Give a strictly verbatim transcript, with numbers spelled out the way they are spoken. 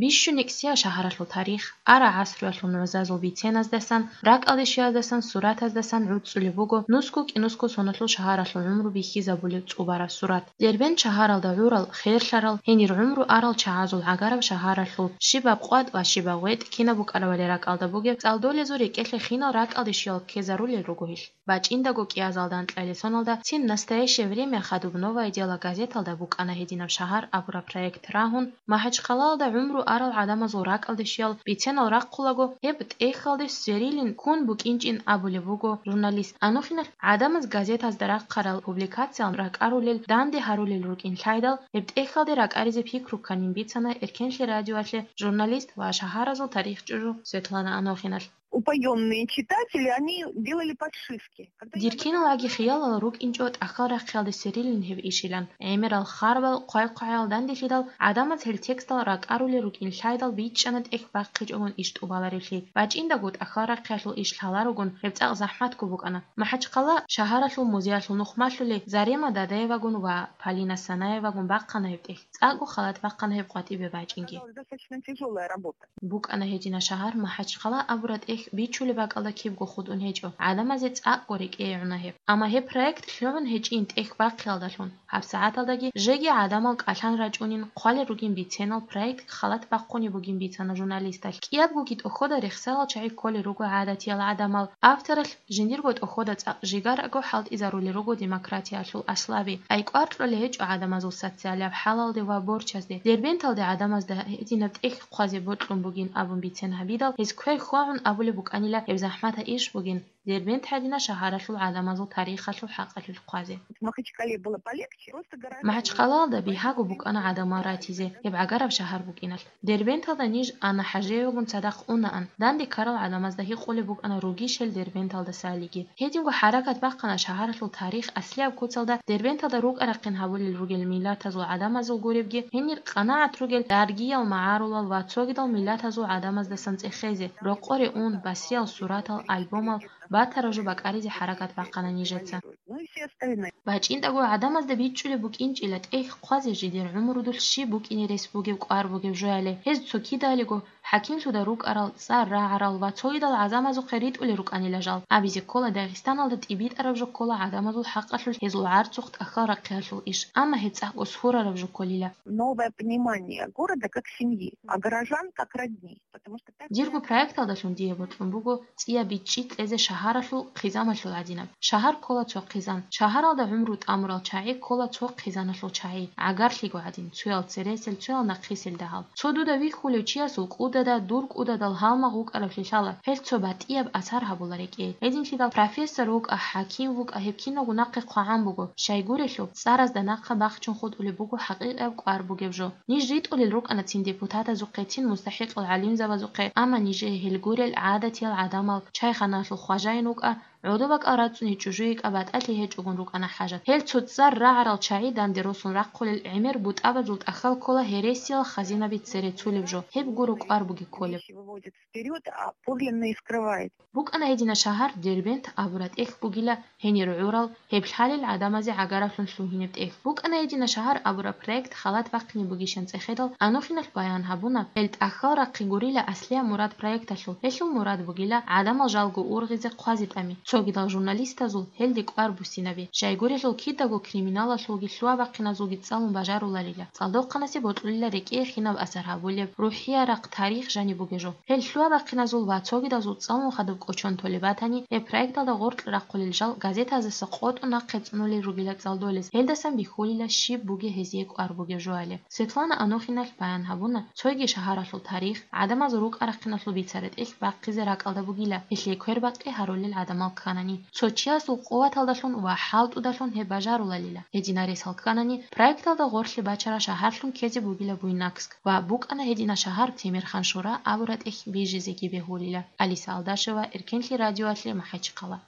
Бищун никӀсиял шагьаралъул тарих, ара гӀасруялъул нугӀзазул биценаздасан, ракӀалде щвеяздасан, суратаздасан гӀуцӀцӀулеб буго нусго-кӀинусго соналъул шагьаралъул гӀумру бихьизабулеб цӀубараб сурат. Дербент шагьаралда гӀурал, херлъарал, гьенир гӀумру арал чагӀазул гӀагараб шагьаралъул щибаб къватӀ ва щибаб гъветӀ кинаб букӀарабали ракӀалда бугеб, цӀалдолезул рекӀелъе хинал ракӀалде щвеял ккезарулел руго гьелъ. БачӀиндаго кӀиазалда анкьалил соналда «Цин настоящее время» хадуб «Новое дело» газеталда букӀана гьединаб «Шагьар» абураб проект рагьун, МахӀачхъалаялда гӀумру арал гӀадамазул ракӀалде щвеял биценал рахъулаго, гьеб тӀехьалде сверилин ккун букӀинчӀин абулеб буго журналист. Анохиналъ гӀадамаз газетазда рахъарал публикациял ракӀарулел, данде гьарулел рукӀин лъайдал, гьеб тӀехьалде ракӀаризе пикру кканин бицана Эркенлъи радиоялъе журналист ва шагьаразул тарихчӀужу Светлана Анохиналъ. Упоённые читатели, они делали подшивки. Когда я Дир киналаги хиялал рукӀинчӀо тӀахьал рахъиялде сверилин гьеб ишилан. ГӀемерал харбал, хъвай-хъвагӀаял данделъидал гӀадамаз гьел текстал ракӀарулел рукӀин лъайдал бичӀчӀана тӀехь бахъичӀогун иш тӀубаларевлъи. БачӀиндаго тӀахьал рахъиялъул иш лъаларогун гьеб цӀакъ захӀматго букӀана. МахӀачхъала шагьаралъул музеялъул нухмалъули Зарема Дадаевагун ва Полина Санаевагун бахъана гьеб тӀехь. ЦӀакъго халат бахъана гьеб къватӀибе бачӀинги. Оказалась достаточно тяжёлая работа. БукӀана гьедина шагьар МахӀачхъала абураб тӀехь бичулеб бакӀалда кибго хутӀун гьечӀо, гӀадамазе цӀакъго рекӀее гӀуна гьеб. Амма гьеб проект лъугӀун гьечӀин тӀехь бахъиялдалъун, гьабсагӀаталдаги жеги гӀадамал кӀалъан рачӀунин хъвалел ругин биценал проект халат бахъунеб бугин бицана журналисталъ. КӀиябгоги тӀохода рехсарал чагӀи кколел руго гӀадатиял гӀадамал, авторалъ жиндирго тӀохода цӀакъ жигарго хӀалтӀизарулел руго демократиялъул аслаби. ТӀайкӀвар кьолей гьечӀо гӀадамазул социалияб хӀалалде ва борчазде. Дербенталде гӀадамазда гьединаб тӀехь хъвазе бокьун бугин абун бицен гьабидал, гьез квер хьвагӀун абулеб букӀанила гьеб захӀматаб иш бугин, Дербент гьадина шагьаралъул гӀадамазул тарихалъул хӀакъалъулъ хъвазе. В Махачкале было полегче, просто гораздо МахӀачхъалаялда бигьаго букӀана гӀадамал ратизе, гьеб гӀагараб шагьар букӀиналъ. Дербенталда ниж Анна ХӀажиевагун цадахъ унаан, данде ккарал гӀадамазда гьикъулеб букӀана ругищел Дербенталдасалиги. Гьединго хӀаракат бахъана шагьаралъул тарих аслияб куцалда Дербенталда рукӀа-рахъин гьабулел ругел миллатазул гӀадамазул гуребги, гьенир къанагӀат ругел даргиял, магӀарулал ва цогидал миллатазул гӀадамаздасан цӀехезе, рокъоре ун, басриял суратал, альбомал, батараб жо бакӀаризе хӀаракат бахъана нижеца. Ну и все остальные. БачӀинтӀаго гӀадамазда бичӀчӀулеб букӀинчӀила тӀехь хъвазе жидер гӀумрудулъ щиб букӀине рес бугеб кӀвар бугеб жояли. Гьез цо кидалиго хӀакимлъуда рукӀарал, цӀар рагӀарал ва цогидал гӀадамазухъе ритӀулел рукӀанила жал. Абизе ккола, Дагъистаналда тӀибитӀараб жо ккола гӀадамазул хӀакъалъулъ гьезул гӀарцухъ тӀахьал рахъиялъул иш, амма гьеб цӀакъго сурараб жо кколила. Новое понимание города как семьи, а горожан как родни. Потому что так Дирго проекталдалъун дие бокьун буго цӀияб бичӀчӀи кьезе шагьаралъул хъизамалъул гӀадинаб. Шагьар ккола цо хъизан. Шагьаралда гӀумру тӀамурал чагӀи ккола цо хъизаналъул чагӀи, гӀагарлъиго гӀадин, цоял цересел, цоял нахъисел дагьал. Цо дуда вихьулев чиясул кӀудада, дур кӀудадал гьалмагъ вукӀаравлъи лъала, гьел цо батӀияб асар гьабула рекӀее. Гьединлъидал профессор вукӀа, хӀаким вукӀа, гьеб киналго нахъе хъвагӀан буго. Щайгурелъул, цӀаразда нахъа бахчун хутӀулеб буго хӀакъикъияб кӀвар бугеб жо. Ниж ритӀулел рукӀана цин депутатазухъе, цин мустахӀикъал гӀалимзабазухъе, амма нижее гьел гурел гӀадатиял гӀадамал, чайханалъул хважаин вукӀа, гӀодобакӀал рацӀцӀуне чӀужу йикӀа батӀалъи гьечӀогун рукӀана хӀажат. Гьел цо цӀар рагӀарал чагӀи данде росун рахъулел гӀемер бутӀабазул тӀахьал ккола гьересиял хазинаби цере цулеб жо, гьеб гуро кӀвар буги кколеб. Выводит вперёд, а подлинные скрывает. БукӀана гьедина шагьар Дербент абураб тӀехь бугила, гьенир гӀурал, гьеб лъалел гӀадамазе гӀагараблъун лъугьинеб тӀехь. БукӀана гьедина шагьар абураб проект халат бахъине бугищан цӀехедал, Анохиналъ баян гьабуна, гьел тӀахьал рахъи гурила аслияб мурад проекталъул. Гьелъул мурад бугила гӀадамал жалго ургъизе хъвазе тӀами, цогидал журналистазул гьелде кӀвар буссинаби. Щайгурелъул кидаго криминалалъулги лъугьа-бахъиназулги цӀалун бажаруларила. ЦӀалдохъанасе бокьулила рекӀее хинаб асар гьабулеб, рухӀиярахъ тарих жаниб бугеб жо. Гьел лъугьа-бахъиназул ва цогидазул цӀалун хадуб кӀочон толеб батани, гьеб проекталда гъоркь рахъулел жал газетаздаса къотӀун нахъе цӀунулел ругила цӀалдолез, гьелдасан бихьулила щиб бугеб гьезие кӀвар бугеб жояли. Светлана Анохиналъ баян гьабуна, цоги шагьаралъул тарих, гӀадамазул рукӀа-рахъиналъул бицараб тӀехь бахъизе ракӀалда бугила, гьелъие квербакъи гьарулел гӀадамал кканани, цо чиясул къуваталдалъун ва хӀалтӀудалъун гьеб бажаруларила. Гьединаресал кканани, проекталда гъорлъе бачараб шагьарлъун ккезе бугила Буйнакск ва букӀана гьедина шагьар Темирхан-Шура абураб тӀехь бижизеги бегьулила. Алиса Алдашева, Эркенлъи радиоялъе, МахӀачхъала.